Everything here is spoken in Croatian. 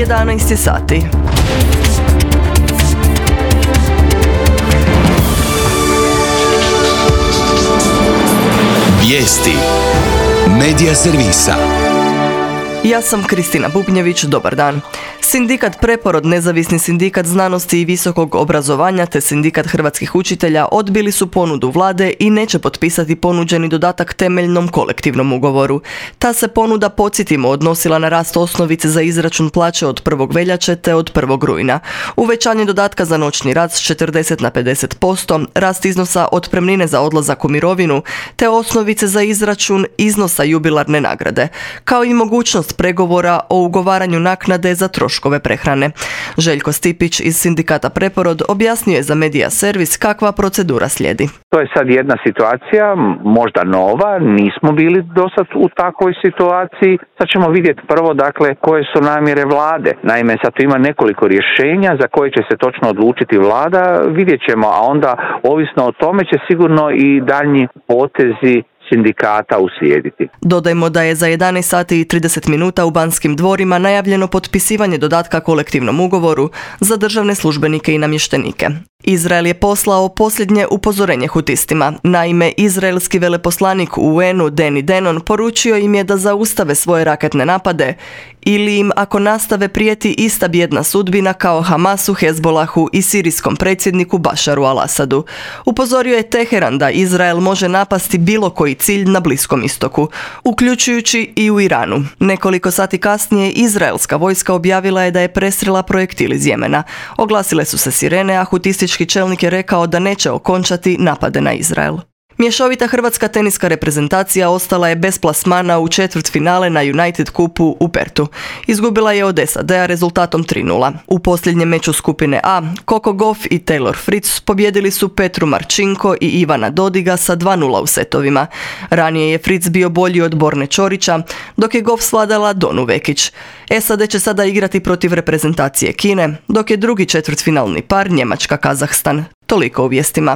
11 sati. Vijesti Medija servisa. Ja sam Kristina Bubnjević, dobar dan. Sindikat Preporod, Nezavisni sindikat znanosti i visokog obrazovanja te Sindikat hrvatskih učitelja odbili su ponudu vlade i neće potpisati ponuđeni dodatak temeljnom kolektivnom ugovoru. Ta se ponuda, podsjetimo, odnosila na rast osnovice za izračun plaće od 1. veljače te od 1. rujna. Uvećanje dodatka za noćni rad s 40 na 50%, rast iznosa otpremnine za odlazak u mirovinu te osnovice za izračun iznosa jubilarne nagrade, kao i mogućnost pregovora o ugovaranju naknade za troškove prehrane. Željko Stipić iz Sindikata Preporod objasnio je za Medija servis kakva procedura slijedi. To je sad jedna situacija, možda nova, nismo bili dosad u takvoj situaciji. Sad ćemo vidjeti prvo, koje su namjere vlade. Naime, sad tu ima nekoliko rješenja za koje će se točno odlučiti vlada, vidjet ćemo, a onda ovisno o tome će sigurno i daljnji potezi sindikata uslijediti. Dodajmo da je za 11 sati i 30 minuta u Banskim dvorima najavljeno potpisivanje dodatka kolektivnom ugovoru za državne službenike i namještenike. Izrael je poslao posljednje upozorenje hutistima. Naime, izraelski veleposlanik u UN-u Deni Denon poručio im je da zaustave svoje raketne napade ili im, ako nastave, prijeti ista bijedna sudbina kao Hamasu, Hezbolahu i sirijskom predsjedniku Bašaru al-Asadu. Upozorio je Teheran da Izrael može napasti bilo koji cilj na Bliskom istoku, uključujući i u Iranu. Nekoliko sati kasnije izraelska vojska objavila je da je presrela projektil iz Jemena. Oglasile su se sirene, a hutistički čelnik je rekao da neće okončati napade na Izrael. Mješovita hrvatska teniska reprezentacija ostala je bez plasmana u četvrtfinale na United Cupu u Pertu. Izgubila je od SAD-a rezultatom 3:0. U posljednjem meču skupine A, Coco Gauff i Taylor Fritz pobjedili su Petru Marčinko i Ivana Dodiga sa 2:0 u setovima. Ranije je Fritz bio bolji od Borne Ćorića, dok je Gauff svladala Donu Vekić. SAD će sada igrati protiv reprezentacije Kine, dok je drugi četvrtfinalni par Njemačka-Kazahstan. Toliko u vijestima.